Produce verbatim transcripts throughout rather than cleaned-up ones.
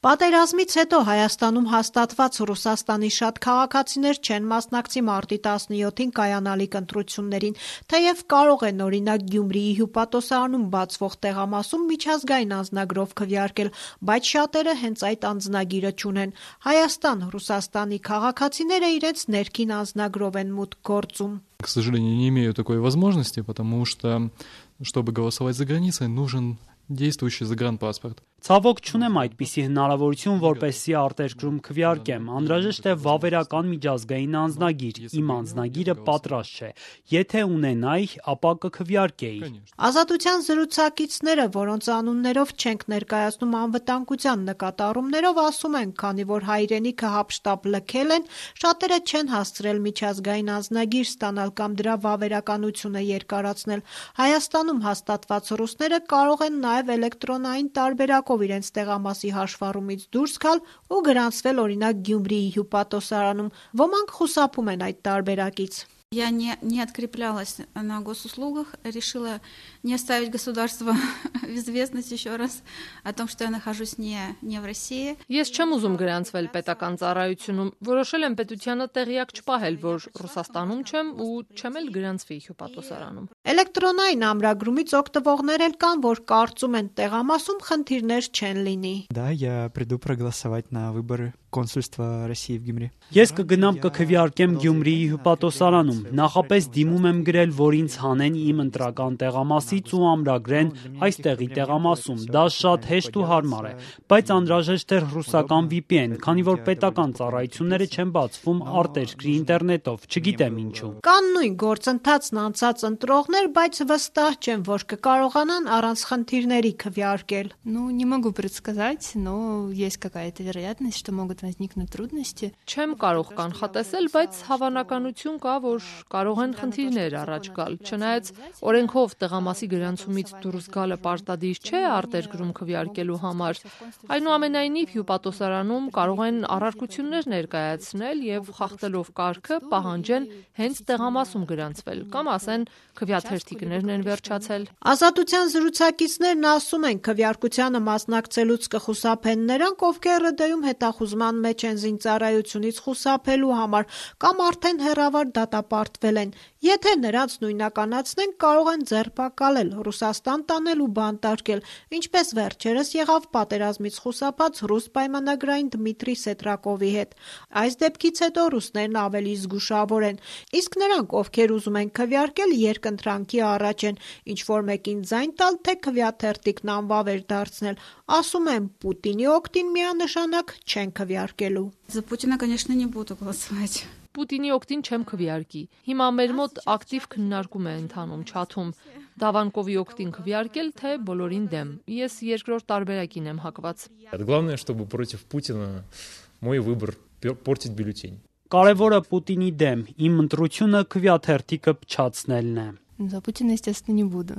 Պատերազմից հետո Հայաստանում հաստատված Ռուսաստանի շատ քաղաքացիներ չեն մասնակցի մարտի տասնյոթին կայանալիք ընտրություններին, թեև կարող են օրինակ Գյումրիի հյուպատոսարանում բացվող տեղամասում միջազգային անձնագրով քվեարկել, բայց շատերը հենց այդ անձնագիրը չունեն։ Հայաստան, Ռուսաստանի քաղաքացիները իրենց ներքին անձնագրով են մուտք գործում։ К сожалению, не имею такой возможности, потому что, чтобы голосовать за границей, нужен действующий загранпаспорт. Ցավոք չունեմ այդպիսի հնարավորություն, որպեսզի արտերկրում քվեարկեմ, անհրաժեշտ է վավերական միջազգային անձնագիր, իմ անձնագիրը պատրաստ չէ, եթե ունենայի, ապա կքվեարկեի։ Ազատության զրուցակիցները, որոնց անուններով չենք ներկայացնում անվտանգության նկատառումներով, ասում են, քանի որ հայրենիքը հապշտապ լքել են, շատերը չեն հասցրել միջազգային անձնագիր ստանալ կամ դրա վավերականությունը երկարացնել։ Հայաստանում հաստատված ռուսները կարող են նաև էլեկտրոնային տարբերակով իրենց տեղամասի հաշվառումից դուրս գալ ու գրանցվել օրինակ Գյումրիի հյուպատոսարանում։ Ոմանք խուսափում են այդ տարբերակից։ Я не, не откреплялась на госуслугах, решила не оставить государство в известность еще раз о том, что я нахожусь не, не в России. Ես չեմ ուզում գրանցվել պետական ծառայությունում, որոշել եմ պետությանը տեղյակ չպահել, որ Ռուսաստանում չեմ ու չեմ էլ գրանցվի հյուպատոսարանում։ Էլեկտրոնային ամրագրումից օգտվողներ էլ կան, որ կարծում են տեղամասում խնդիրներ չեն լինի։ Да, я приду проголосовать на выборы консульства России в Գյումրի։ Ես կգնամ կքվեարկեմ Գյումրիի հյուպատոսարանում, նախապես դիմում եմ գրել, որ ինձ հանեն իմ ընտրական տեղամասից ու ամրագրեն այստեղի տեղամասում, դա շատ հեշտ ու հարմար է, բայց անհրաժեշտ էր ռուսական վի պի են, քանի որ պետական ծառայությունները չեն բացվում արտերկրի ինտերնետով, չգիտեմ ինչու։ Կան նույն գործընթացն անցած ընտրողներ, բայց վստահ չեն, որ կկարողանան առանց խնդիրների քվեարկել։ Ну, не могу предсказать, но есть какая-то вероятность, что могут возникнуть трудности. Չեմ կարող կանխատեսել, բայց հավանականություն կա, որ կարող են խնդիրներ առաջ գալ։ Չնայած օրենքով տեղամասի գրանցումից դուրս գալը պարտադիր չէ արտերկրում քվեարկելու համար, այնուամենայնիվ հյուպատոսարանում կարող են առարկություններ ներկայացնել եւ խախտելով կարգը պահանջեն հենց տեղամասում գրանցվել կամ ասեն քվեաթերթիկներն են վերջացել։ Ազատության զրուցակիցներն ասում են, քվեարկությանը մասնակցելուց կխուսափեն նրանք, ովքեր ՌԴ-ում հետախուզման մեջ են զինծառայությունից խուսափելու համար կամ արդեն հեռավար դատապարտվել են։ Եթե նրանց նույնականացնեն, կարող են ձերբակալել, Ռուսաստան տանել ու բանտարկել, ինչպես վերջերս եղավ պատերազմից խուսափած ռուս պայմանագրային Դմիտրի Սետրակովի հետ։ Այս դեպքից հետո ռուսներն ավելի զգուշավոր են, իսկ նրանք, ովքեր ուզում են քվեարկել, երկընտրանքի առաջ են, ինչ որ մեկին ձայն տալ, թե քվեաթերթիկն անվավեր դարձնել, ասում են Պուտինի օգտին միանշանակ չեն քվեարկելու։ За Путина, конечно, не буду голосовать. Պուտինի օգտին չեմ քվեարկի։ Հիմա մեր մոտ ակտիվ քննարկում է ընթանում չաթում։ Դավանկովի օգտին քվեարկել, թե բոլորին դեմ։ Ես երկրորդ տարբերակին եմ հակված։ Главное, чтобы против Путина мой выбор портить бюллетень. Կարևորը Պուտինի դեմ, իմ ընտրությունը քվեաթերթիկը փչացնելն է։ За Путина, естественно, не буду.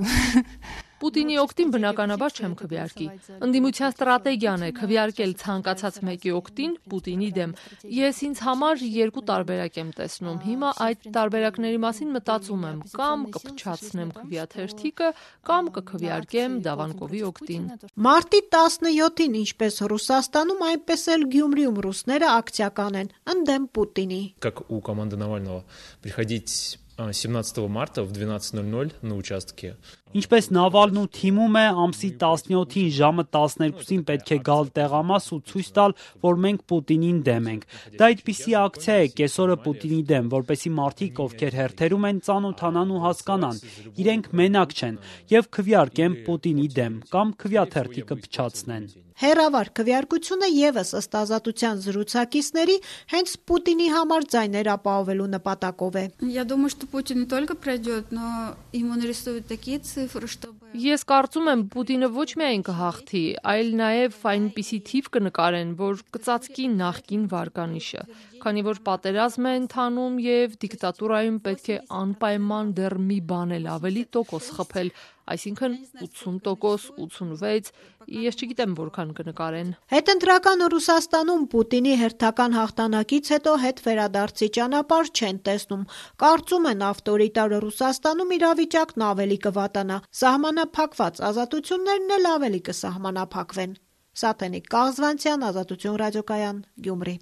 Պուտինի օգտին բնականաբար չեմ քվեարկի։ Ընդդիմության ստրատեգիան է քվեարկել ցանկացած մեկի օգտին Պուտինի դեմ։ Ես ինձ համար երկու տարբերակ եմ տեսնում։ Հիմա այդ տարբերակների մասին մտածում եմ, կամ կփչացնեմ քվեաթերթիկը, կամ կքվեարկեմ Դավանկովի օգտին։ Մարտի տասնյոթին, ինչպես Ռուսաստանում, այնպես էլ Գյումրիում ռուսները ակցիական են ընդդեմ Պուտինի։ Как у команды Навального приходить семнадцатого марта в двенадцать ноль ноль на участке. Ինչպես Նավալն ու թիմում է, ամսի տասնյոթին ժամը տասներկուսին պետք է գալ տեղամաս ու ցույց տալ, որ մենք Պուտինին դեմ ենք։ Դա այդպիսի ակցիա է կեսօրը Պուտինի դեմ, որպեսզի մարդիկ, ովքեր հերթերում են, ծանոթանան ու հասկանան, իրենք մենակ չեն եւ քվեարկեն Պուտինի դեմ կամ քվեաթերթիկը փչացնեն։ Հերավար քվեարկությունը եւս ըստ ազատության զրուցակիցների հենց Պուտինի համար ձայներ ապահովելու նպատակով է։ Я думаю, что Путин не только пройдет, но ему нарисуют такие цифры, чтобы Ես կարծում եմ Պուտինը ոչ միայն կհաղթի, այլ նաև այնպիսի թիվ կնկարեն, որ կծածկի նախկին վարկանիշը, քանի որ պատերազմ է ընթանում եւ դիկտատուրայում պետք է անպայման դեռ մի բան էլ ավելի տոկոս խփել, այսինքն ութսուն տոկոս, ութսունվեց, ես չգիտեմ որքան կնկարեն։ Հետընտրական Ռուսաստանում Պուտինի հերթական հաղթանակից հետո հետ վերադարձի ճանապարհ չեն տեսնում։ Կարծում են ավտորիտար Ռուսաստանում իրավիճակն ավելի կվատանա, սահմանափակված ազատություններն էլ ավելի կսահմանափակվեն։ Սաթենիկ Կաղզվանցյան, Ազատություն ռադիոկայան, Գյումրի։